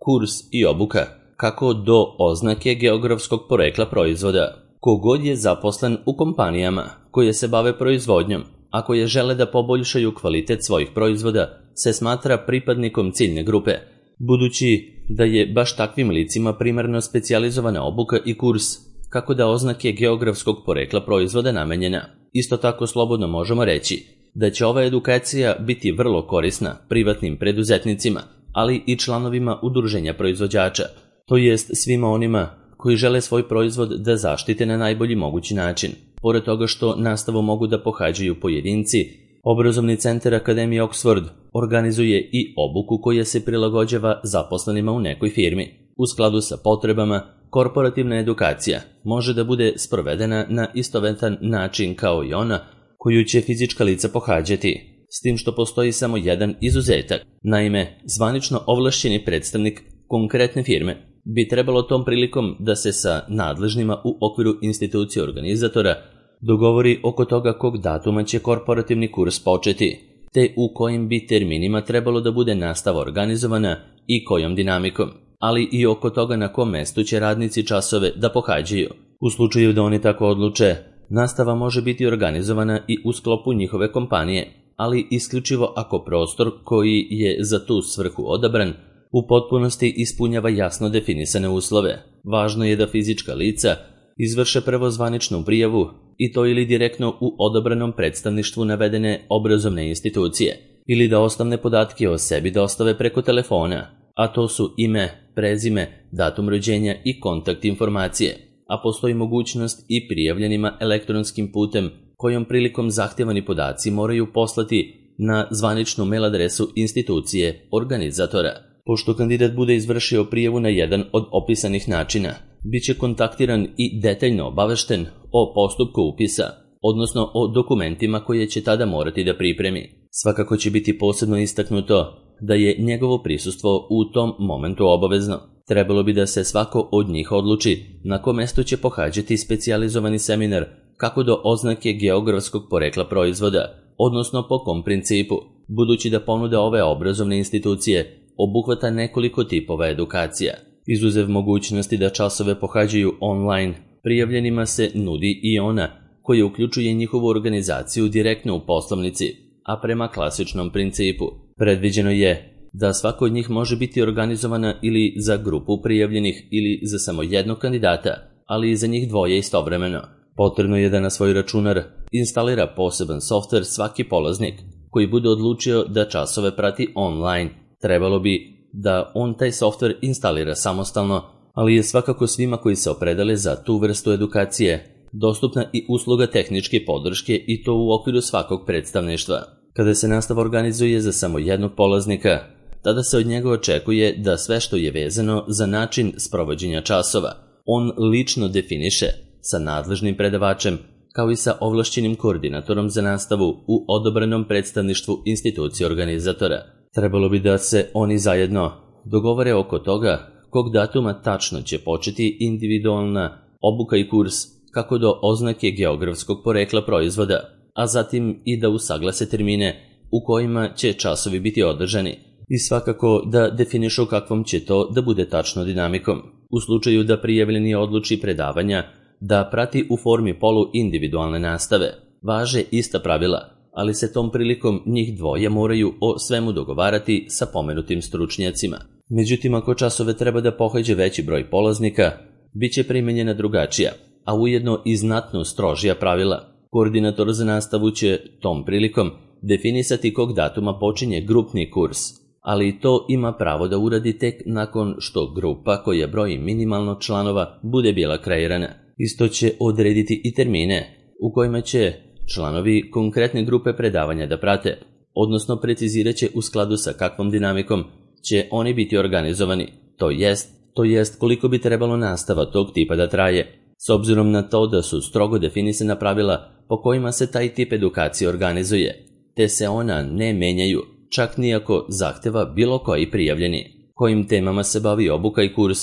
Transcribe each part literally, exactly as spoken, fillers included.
kurs i obuka, kako do oznake geografskog porekla proizvoda. Kogod je zaposlen u kompanijama koje se bave proizvodnjom, a koje žele da poboljšaju kvalitet svojih proizvoda, se smatra pripadnikom ciljne grupe, budući da je baš takvim licima primarno specijalizovana obuka i kurs, kako da oznake geografskog porekla proizvoda namenjena. Isto tako slobodno možemo reći da će ova edukacija biti vrlo korisna privatnim preduzetnicima, ali i članovima udruženja proizvođača, to jest svima onima koji žele svoj proizvod da zaštite na najbolji mogući način. Pored toga što nastavu mogu da pohađaju pojedinci, obrazovni centar Akademije Oxford organizuje i obuku koja se prilagođava zaposlenima u nekoj firmi. U skladu sa potrebama, korporativna edukacija može da bude sprovedena na istovetan način kao i ona koju će fizička lica pohađati, s tim što postoji samo jedan izuzetak. Naime, zvanično ovlašćeni predstavnik konkretne firme bi trebalo tom prilikom da se sa nadležnima u okviru institucije organizatora dogovori oko toga kog datuma će korporativni kurs početi, te u kojim bi terminima trebalo da bude nastava organizovana i kojom dinamikom, ali i oko toga na kom mestu će radnici časove da pohađaju. U slučaju da oni tako odluče, nastava može biti organizovana i u sklopu njihove kompanije, ali isključivo ako prostor koji je za tu svrhu odabran u potpunosti ispunjava jasno definisane uslove. Važno je da fizička lica izvrše prvo zvaničnu prijavu i to ili direktno u odabranom predstavništvu navedene obrazovne institucije, ili da osnovne podatke o sebi dostave preko telefona, a to su ime, prezime, datum rođenja i kontakt informacije, a postoji mogućnost i prijavljenima elektronskim putem kojom prilikom zahtevani podaci moraju poslati na zvaničnu mail adresu institucije organizatora. Pošto kandidat bude izvršio prijavu na jedan od opisanih načina, bit će kontaktiran i detaljno obavešten o postupku upisa, odnosno o dokumentima koje će tada morati da pripremi. Svakako će biti posebno istaknuto da je njegovo prisustvo u tom momentu obavezno. Trebalo bi da se svako od njih odluči na kom mestu će pohađati specijalizovani seminar kako do oznake geografskog porekla proizvoda, odnosno po kom principu, budući da ponuda ove obrazovne institucije obuhvata nekoliko tipova edukacija. Izuzev mogućnosti da časove pohađaju online, prijavljenima se nudi i ona koja uključuje njihovu organizaciju direktno u poslovnici, a prema klasičnom principu. Predviđeno je da svako od njih može biti organizovana ili za grupu prijavljenih ili za samo jednog kandidata, ali i za njih dvoje istovremeno. Potrebno je da na svoj računar instalira poseban softver svaki polaznik koji bude odlučio da časove prati online. Trebalo bi da on taj softver instalira samostalno, ali je svakako svima koji se opredele za tu vrstu edukacije dostupna i usluga tehničke podrške i to u okviru svakog predstavništva. Kada se nastava organizuje za samo jednog polaznika, tada se od njega očekuje da sve što je vezano za način sprovođenja časova on lično definiše sa nadležnim predavačem, kao i sa ovlašćenim koordinatorom za nastavu u odobranom predstavništvu institucije organizatora. Trebalo bi da se oni zajedno dogovore oko toga kog datuma tačno će početi individualna obuka i kurs kako do oznake geografskog porekla proizvoda, a zatim i da usaglase termine u kojima će časovi biti održani i svakako da definišu kakvom će to da bude tačno dinamikom. U slučaju da prijavljeni odluči predavanja da prati u formi polu individualne nastave, važe ista pravila, ali se tom prilikom njih dvoje moraju o svemu dogovarati sa pomenutim stručnjacima. Međutim, ako časove treba da pohađe veći broj polaznika, bit će primenjena drugačija, a ujedno i znatno strožija pravila. Koordinator za nastavu će tom prilikom definisati kog datuma počinje grupni kurs, ali to ima pravo da uradi tek nakon što grupa koja broji minimalno članova bude bila kreirana. Isto će odrediti i termine u kojima će članovi konkretne grupe predavanja da prate, odnosno precizirat će u skladu sa kakvom dinamikom će oni biti organizovani, to jest, to jest koliko bi trebalo nastava tog tipa da traje, s obzirom na to da su strogo definisana pravila po kojima se taj tip edukacije organizuje, te se ona ne menjaju, čak nijako zahteva bilo koji prijavljeni. Kojim temama se bavi obuka i kurs,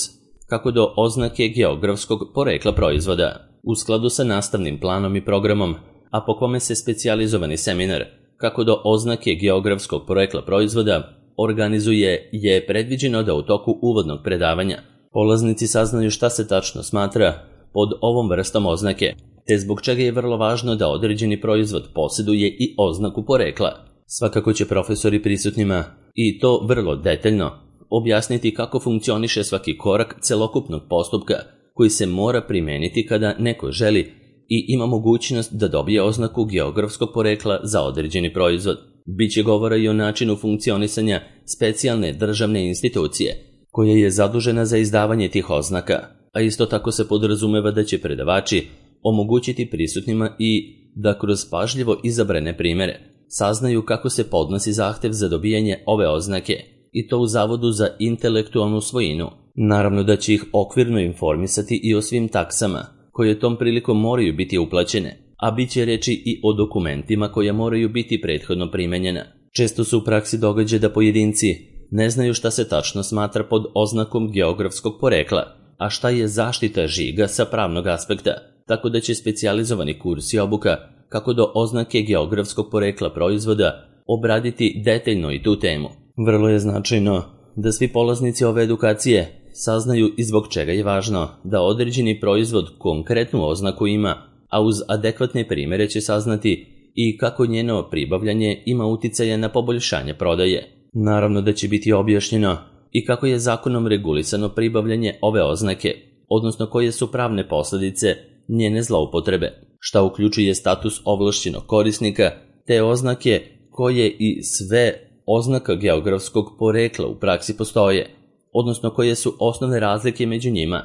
kako do oznake geografskog porekla proizvoda, u skladu sa nastavnim planom i programom, a po kome se specijalizovani seminar, kako do oznake geografskog porekla proizvoda, organizuje je predviđeno da u toku uvodnog predavanja polaznici saznaju šta se tačno smatra pod ovom vrstom oznake, te zbog čega je vrlo važno da određeni proizvod posjeduje i oznaku porekla. Svakako će profesori prisutnima, i to vrlo detaljno, objasniti kako funkcioniše svaki korak celokupnog postupka koji se mora primeniti kada neko želi i ima mogućnost da dobije oznaku geografskog porekla za određeni proizvod. Biće govora i o načinu funkcionisanja specijalne državne institucije, koja je zadužena za izdavanje tih oznaka, a isto tako se podrazumeva da će predavači omogućiti prisutnima i da kroz pažljivo izabrane primere saznaju kako se podnosi zahtev za dobijanje ove oznake, i to u Zavodu za intelektualnu svojinu. Naravno da će ih okvirno informisati i o svim taksama, koje tom prilikom moraju biti uplaćene, a bit će reći i o dokumentima koja moraju biti prethodno primenjena. Često se u praksi događa da pojedinci ne znaju šta se tačno smatra pod oznakom geografskog porekla, a šta je zaštita žiga sa pravnog aspekta, tako da će specijalizovani kurs i obuka kako do oznake geografskog porekla proizvoda obraditi detaljno i tu temu. Vrlo je značajno da svi polaznici ove edukacije saznaju i zbog čega je važno da određeni proizvod konkretnu oznaku ima, a uz adekvatne primere će saznati i kako njeno pribavljanje ima uticaja na poboljšanje prodaje. Naravno da će biti objašnjeno i kako je zakonom regulisano pribavljanje ove oznake, odnosno koje su pravne posljedice njene zloupotrebe, šta uključuje status ovlašćenog korisnika, te oznake koje i sve oznaka geografskog porekla u praksi postoje, odnosno koje su osnovne razlike među njima,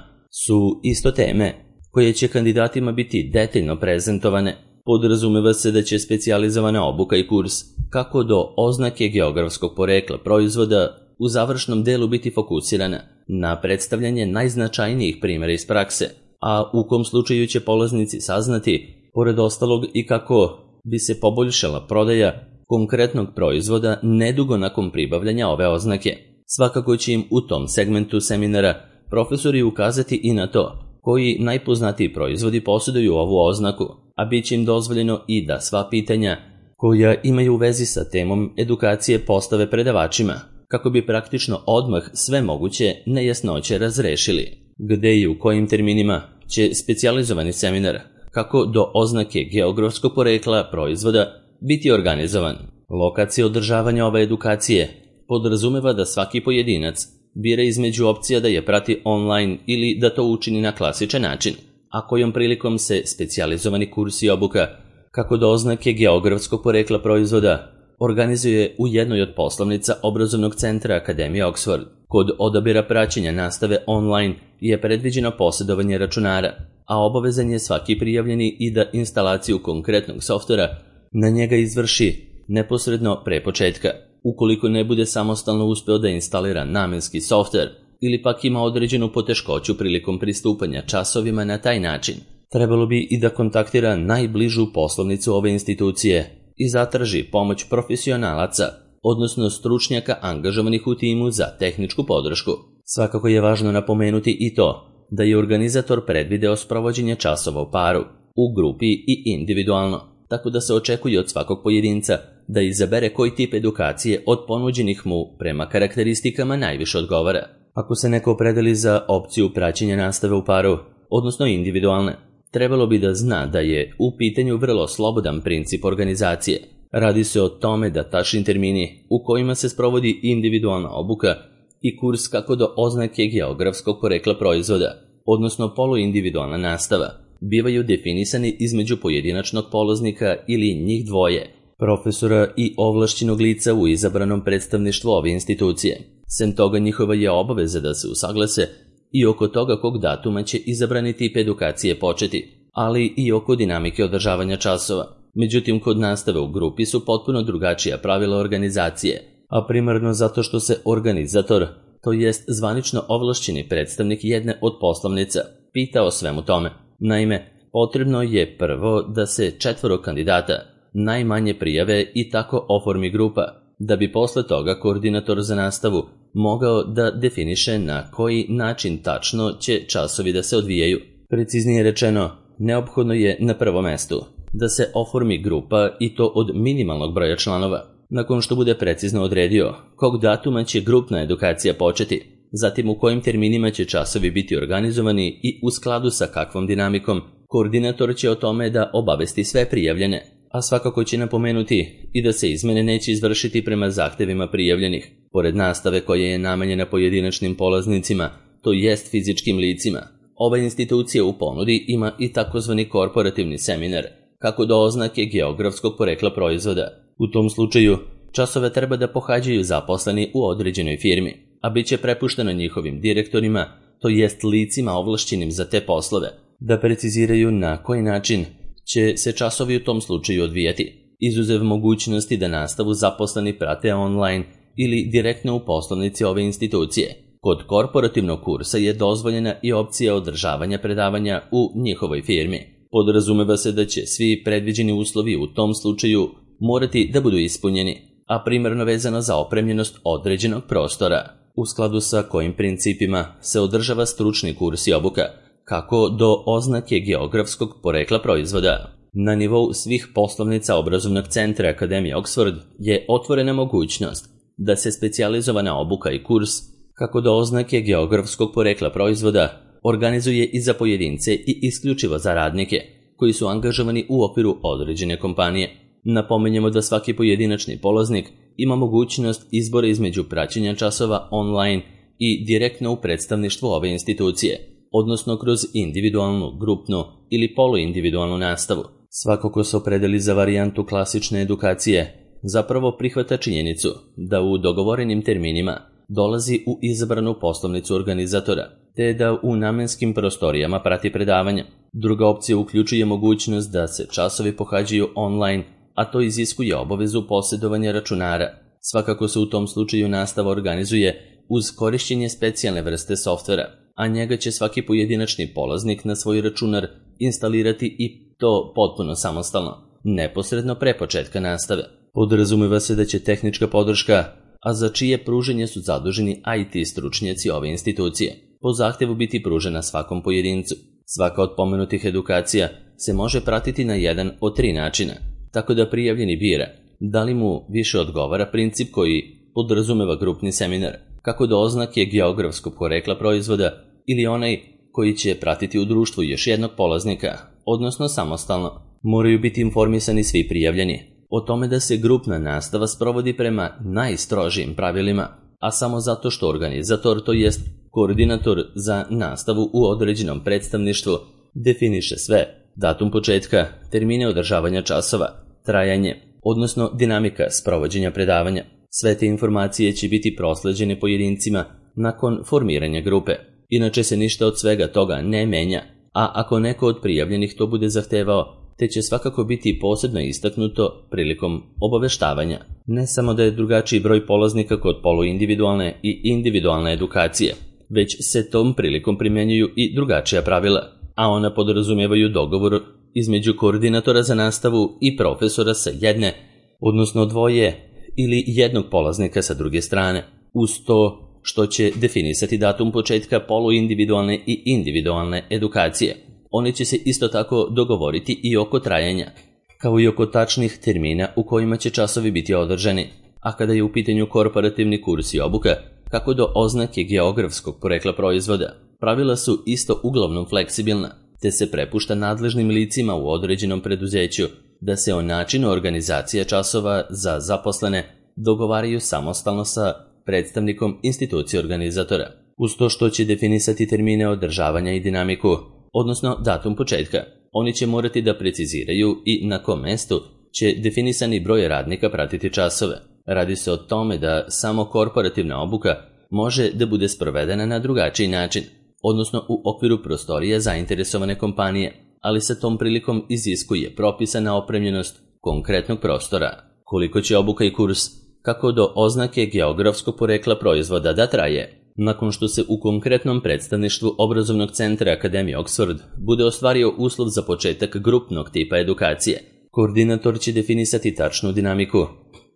su isto teme koje će kandidatima biti detaljno prezentovane. Podrazumeva se da će specijalizovana obuka i kurs kako do oznake geografskog porekla proizvoda u završnom delu biti fokusirana na predstavljanje najznačajnijih primjera iz prakse, a u kom slučaju će polaznici saznati, pored ostalog, i kako bi se poboljšala prodaja konkretnog proizvoda nedugo nakon pribavljanja ove oznake. Svakako će im u tom segmentu seminara profesori ukazati i na to koji najpoznatiji proizvodi posjeduju ovu oznaku, a bit će im dozvoljeno i da sva pitanja koja imaju u vezi sa temom edukacije postave predavačima, kako bi praktično odmah sve moguće nejasnoće razrešili. Gde i u kojim terminima će specijalizovani seminar kako do oznake geografskog porekla proizvoda biti organizovan. Lokacija održavanja ove edukacije podrazumeva da svaki pojedinac bira između opcija da je prati online ili da to učini na klasičan način, a kojom prilikom se specijalizovani kurs i obuka kako do oznake geografskog porekla proizvoda organizuje u jednoj od poslovnica obrazovnog centra Akademije Oxford. Kod odabira praćenja nastave online je predviđeno posjedovanje računara, a obavezan je svaki prijavljeni i da instalaciju konkretnog softvera na njega izvrši neposredno pre početka. Ukoliko ne bude samostalno uspeo da instalira namenski softver ili pak ima određenu poteškoću prilikom pristupanja časovima na taj način, trebalo bi i da kontaktira najbližu poslovnicu ove institucije i zatraži pomoć profesionalaca, odnosno stručnjaka angažovanih u timu za tehničku podršku. Svakako je važno napomenuti i to da je organizator predvideo sprovođenje časova u paru, u grupi i individualno, tako da se očekuje od svakog pojedinca da izabere koji tip edukacije od ponuđenih mu prema karakteristikama najviše odgovara. Ako se neko opredeli za opciju praćenja nastave u paru, odnosno individualne, trebalo bi da zna da je u pitanju vrlo slobodan princip organizacije. Radi se o tome da tačni termini u kojima se sprovodi individualna obuka i kurs kako do oznake geografskog porekla proizvoda, odnosno poluindividualna nastava, bivaju definisani između pojedinačnog polaznika ili njih dvoje, profesora i ovlašćenog lica u izabranom predstavništvu ove institucije. Sem toga, njihova je obaveza da se usaglase i oko toga kog datuma će izabrani tip edukacije početi, ali i oko dinamike održavanja časova. Međutim, kod nastave u grupi su potpuno drugačija pravila organizacije, a primarno zato što se organizator, to jest zvanično ovlašćeni predstavnik jedne od poslovnica, pita o svemu tome. Naime, potrebno je prvo da se četvoro kandidata najmanje prijave i tako oformi grupa, da bi posle toga koordinator za nastavu mogao da definiše na koji način tačno će časovi da se odvijaju. Preciznije rečeno, neophodno je na prvom mestu da se oformi grupa i to od minimalnog broja članova. nakon što bude precizno odredio kog datuma će grupna edukacija početi, zatim u kojim terminima će časovi biti organizovani i u skladu sa kakvom dinamikom, koordinator će o tome da obavesti sve prijavljene, a svakako će napomenuti i da se izmene neće izvršiti prema zahtevima prijavljenih, pored nastave koja je namenjena pojedinačnim polaznicima, to jest fizičkim licima. Ova institucija u ponudi ima i takozvani korporativni seminar, kako do oznake geografskog porekla proizvoda. U tom slučaju, časove treba da pohađaju zaposleni u određenoj firmi, a bit će prepušteno njihovim direktorima, to jest licima ovlašćenim za te poslove, da preciziraju na koji način će se časovi u tom slučaju odvijati, izuzev mogućnosti da nastavu zaposleni prate online ili direktno u poslovnici ove institucije. Kod korporativnog kursa je dozvoljena i opcija održavanja predavanja u njihovoj firmi. Podrazumeva se da će svi predviđeni uslovi u tom slučaju morati da budu ispunjeni, a primarno vezano za opremljenost određenog prostora, u skladu sa kojim principima se održava stručni kurs i obuka, kako do oznake geografskog porekla proizvoda. Na nivou svih poslovnica obrazovnog centra Akademije Oxford je otvorena mogućnost da se specijalizovana obuka i kurs, kako do oznake geografskog porekla proizvoda, organizuje i za pojedince i isključivo za radnike koji su angažovani u okviru određene kompanije. Napominjemo da svaki pojedinačni polaznik ima mogućnost izbora između praćenja časova online i direktno u predstavništvu ove institucije, odnosno kroz individualnu, grupnu ili poluindividualnu nastavu. Svako ko se opredeli za varijantu klasične edukacije zapravo prihvata činjenicu da u dogovorenim terminima dolazi u izabranu poslovnicu organizatora, te da u namenskim prostorijama prati predavanja. Druga opcija uključuje mogućnost da se časovi pohađaju online, a to iziskuje obavezu posjedovanja računara. Svakako se u tom slučaju nastava organizuje uz korišćenje specijalne vrste softvera, a njega će svaki pojedinačni polaznik na svoj računar instalirati i to potpuno samostalno, neposredno pre početka nastave. Podrazumeva se da će tehnička podrška, a za čije pruženje su zaduženi I T stručnjaci ove institucije, po zahtevu biti pružena svakom pojedincu. Svaka od pomenutih edukacija se može pratiti na jedan od tri načina, tako da prijavljeni bira da li mu više odgovara princip koji podrazumeva grupni seminar, kako do oznake geografskog porekla proizvoda, ili onaj koji će pratiti u društvu još jednog polaznika, odnosno samostalno. Moraju biti informisani svi prijavljeni o tome da se grupna nastava sprovodi prema najstrožijim pravilima, a samo zato što organizator, to jest koordinator za nastavu u određenom predstavništvu, definiše sve: datum početka, termine održavanja časova, trajanje, odnosno dinamika sprovođenja predavanja. Sve te informacije će biti prosleđene pojedincima nakon formiranja grupe. Inače se ništa od svega toga ne menja, a ako neko od prijavljenih to bude zahtevao, te će svakako biti posebno istaknuto prilikom obaveštavanja. Ne samo da je drugačiji broj polaznika kod poluindividualne i individualne edukacije, već se tom prilikom primjenjuju i drugačija pravila, a ona podrazumijevaju dogovor između koordinatora za nastavu i profesora sa jedne, odnosno dvoje ili jednog polaznika sa druge strane, uz to što će definisati datum početka poluindividualne i individualne edukacije. Oni će se isto tako dogovoriti i oko trajanja, kao i oko tačnih termina u kojima će časovi biti održani. A kada je u pitanju korporativni kurs i obuka, kako do oznake geografskog porekla proizvoda, pravila su isto uglavnom fleksibilna, te se prepušta nadležnim licima u određenom preduzeću da se o načinu organizacije časova za zaposlene dogovaraju samostalno sa predstavnikom institucije organizatora, uz to što će definisati termine održavanja i dinamiku, odnosno datum početka. Oni će morati da preciziraju i na kom mestu će definisani broj radnika pratiti časove. Radi se o tome da samo korporativna obuka može da bude sprovedena na drugačiji način, odnosno u okviru prostorija zainteresovane kompanije, ali se tom prilikom iziskuje propisana opremljenost konkretnog prostora. Koliko će obuka i kurs, kako do oznake geografskog porekla proizvoda da traje? Nakon što se u konkretnom predstavništvu obrazovnog centra Akademije Oxford bude ostvario uslov za početak grupnog tipa edukacije, koordinator će definisati tačnu dinamiku,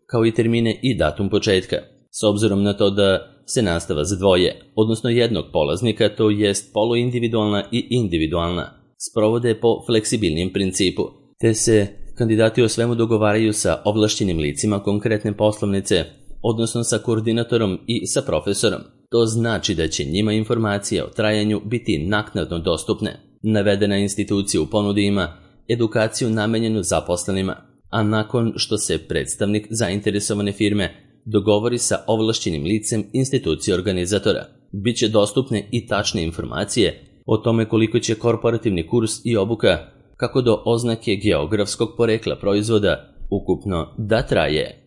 kao i termine i datum početka. S obzirom na to da se nastava za dvoje, odnosno jednog polaznika, to jest poluindividualna i individualna, sprovode po fleksibilnijem principu, te se Kandidati o svemu dogovaraju sa ovlašćenim licima konkretne poslovnice, odnosno sa koordinatorom i sa profesorom. To znači da će njima informacije o trajanju biti naknadno dostupne. Navedena institucija u ponudi ima edukaciju namenjenu zaposlenima, a nakon što se predstavnik zainteresovane firme dogovori sa ovlašćenim licem institucije organizatora, bit će dostupne i tačne informacije o tome koliko će korporativni kurs i obuka, kako do oznake geografskog porekla proizvoda, ukupno da traje.